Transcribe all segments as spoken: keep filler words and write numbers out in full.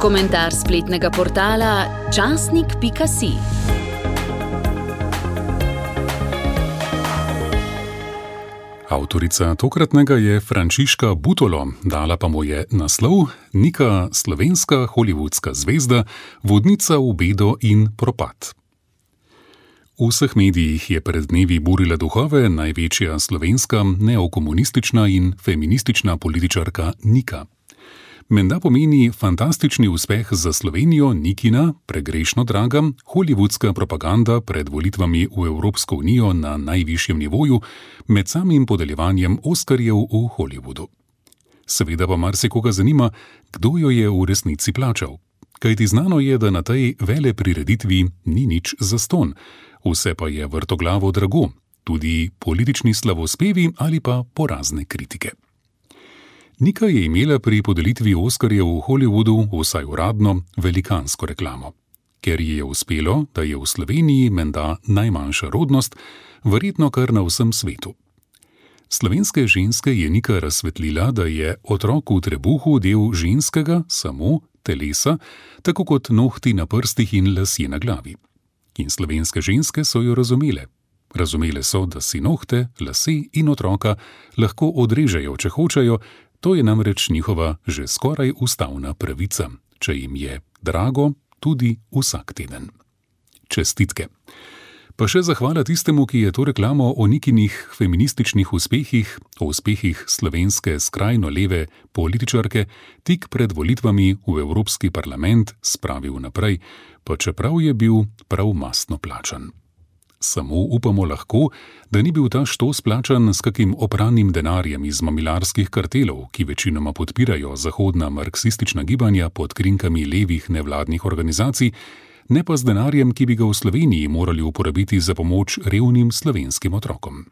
Komentar spletnega portala časnik pika si. Avtorica tokratnega je Frančiška Butolo, dala pa mu je naslov Nika, slovenska hollywoodska zvezda, vodnica v bedo in propad. V vseh medijih je pred dnevi burila duhove največja slovenska neokomunistična in feministična političarka Nika. Menda pomeni fantastični uspeh za Slovenijo Nikina, pregrešno draga, hollywoodska propaganda pred volitvami v Evropsko unijo na najvišjem nivoju med samim podeljevanjem Oskarjev v Hollywoodu. Seveda pa marsikoga zanima, kdo jo je v resnici plačal. Kajti znano je, da na tej veleprireditvi ni nič zastonj, vse pa je vrtoglavo drago, tudi politični slavospevi ali pa porazne kritike. Nika je imela pri podelitvi Oskarjev v Hollywoodu, vsaj uradno, velikansko reklamo. Ker ji je uspelo, da je v Sloveniji menda najmanjša rodnost, verjetno kar na vsem svetu. Slovenske ženske je Nika razsvetlila, da je otrok v trebuhu del ženskega, samo telesa, tako kot nohti na prstih in lasje na glavi. In slovenske ženske so jo razumele. Razumele so, da si nohte, lase in otroka lahko odrežejo, če hočejo. To je namreč njihova že skoraj ustavna pravica, če jim je drago tudi vsak teden. Čestitke. Pa še zahvala tistemu, ki je to reklamo o Nikinih feminističnih uspehih, o uspehih slovenske skrajno leve političarke tik pred volitvami v Evropski parlament spravil naprej, pa čeprav je bil prav mastno plačan. Samo upamo lahko, da ni bil ta štos plačan s kakim opranim denarjem iz mamilarskih kartelov, ki večinoma podpirajo zahodna marksistična gibanja pod krinkami levih nevladnih organizacij, ne pa z denarjem, ki bi ga v Sloveniji morali uporabiti za pomoč revnim slovenskim otrokom.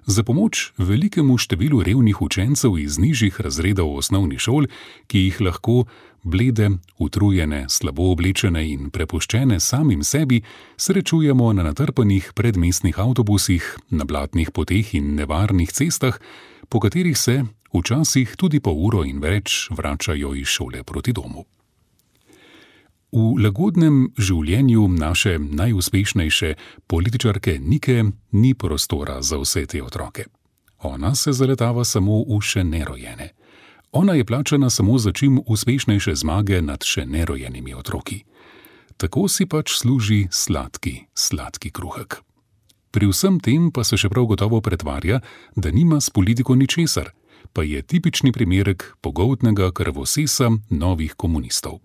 Za pomoč velikemu številu revnih učencev iz nižjih razredov osnovnih šol, ki jih lahko blede, utrujene, slabo oblečene in prepuščene samim sebi srečujemo na natrpanih predmestnih avtobusih, na blatnih poteh in nevarnih cestah, po katerih se včasih tudi po uro in več vračajo iz šole proti domu. V lagodnem življenju naše najuspešnejše političarke Nike ni prostora za vse te otroke. Ona se zaletava samo v še nerojene. Ona je plačana samo za čim uspešnejše zmage nad še nerojenimi otroki. Tako si pač služi sladki, sladki kruhek. Pri vsem tem pa se še prav gotovo pretvarja, da nima s politiko ničesar, pa je tipični primerek pogoltnega krvosesa novih komunistov.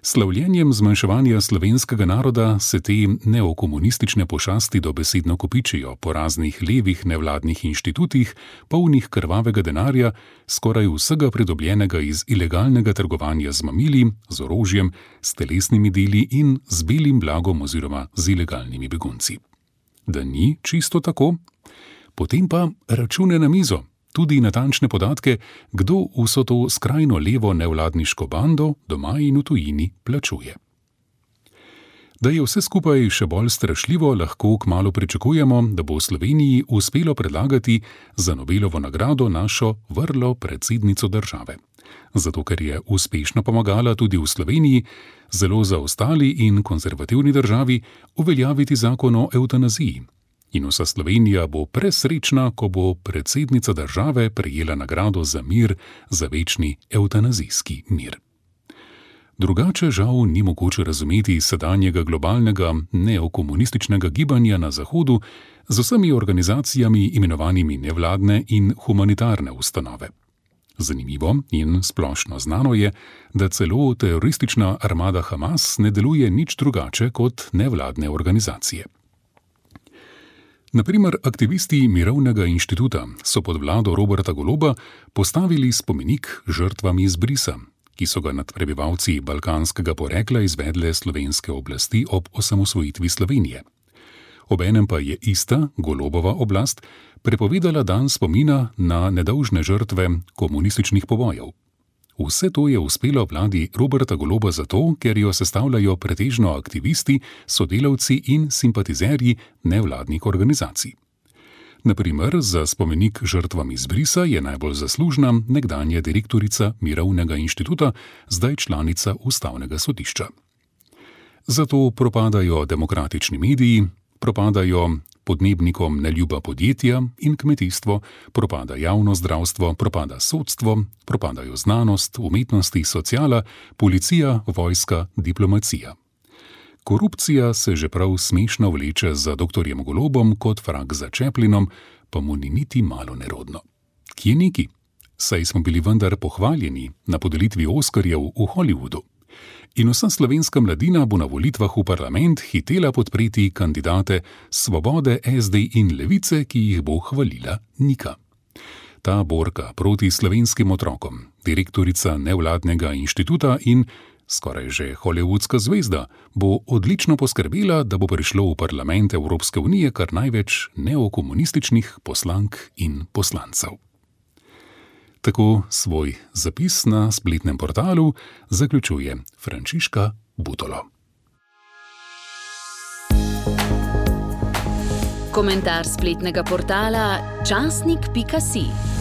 Slavljenjem zmanjševanja slovenskega naroda se te neokomunistične pošasti dobesedno kopičijo po raznih levih nevladnih inštitutih, polnih krvavega denarja, skoraj vsega pridobljenega iz ilegalnega trgovanja z mamili, z orožjem, s telesnimi deli in z belim blagom oziroma z ilegalnimi begunci. Da ni čisto tako? Potem pa račune na mizo. Tudi natančne podatke, kdo vso to skrajno levo nevladniško bando doma in v tujini plačuje. Da je vse skupaj še bolj strašljivo, lahko kmalu pričakujemo, da bo v Sloveniji uspelo predlagati za Nobelovo nagrado našo vrlo predsednico države. Zato, ker je uspešno pomagala tudi v Sloveniji, zelo zaostali in konzervativni državi, uveljaviti zakon o evtanaziji. In vsa Slovenija bo presrečna, ko bo predsednica države prejela nagrado za mir, za večni evtanazijski mir. Drugače žal ni mogoče razumeti sedanjega globalnega neokomunističnega gibanja na Zahodu z vsemi organizacijami imenovanimi nevladne in humanitarne ustanove. Zanimivo in splošno znano je, da celo teroristična armada Hamas ne deluje nič drugače kot nevladne organizacije. Naprimer, aktivisti Mirovnega inštituta so pod vlado Roberta Goloba postavili spomenik žrtvam izbrisa, ki so ga nad prebivalci balkanskega porekla izvedle slovenske oblasti ob osamosvojitvi Slovenije. Obenem pa je ista Golobova oblast prepovedala dan spomina na nedolžne žrtve komunističnih pobojev. Vse to je uspelo vladi Roberta Goloba zato, ker jo sestavljajo pretežno aktivisti, sodelavci in simpatizerji nevladnih organizacij. Na primer, za spomenik žrtvam izbrisa je najbolj zaslužna nekdanja direktorica Mirovnega inštituta, zdaj članica Ustavnega sodišča. Zato propadajo demokratični mediji, propadajo podnebnikom neljuba podjetja in kmetijstvo, propada javno zdravstvo, propada sodstvo, propadajo znanost, umetnosti, sociala, policija, vojska, diplomacija. Korupcija se že prav smešno vleče za doktorjem Golobom kot vrag za Chaplinom, pa mu ni niti malo nerodno. Kje neki? Saj smo bili vendar pohvaljeni na podelitvi Oskarjev v Hollywoodu. In vsa slovenska mladina bo na volitvah v parlament hitela podpreti kandidate Svobode, es de in Levice, ki jih bo hvalila Nika. Ta borka proti slovenskim otrokom, direktorica nevladnega inštituta in skoraj že hollywoodska zvezda, bo odlično poskrbela, da bo prišlo v parlament Evropske unije kar največ neokomunističnih poslank in poslancev. Tako svoj zapis na spletnem portalu zaključuje Frančiška Butolo. Komentar spletnega portala časnik pika si.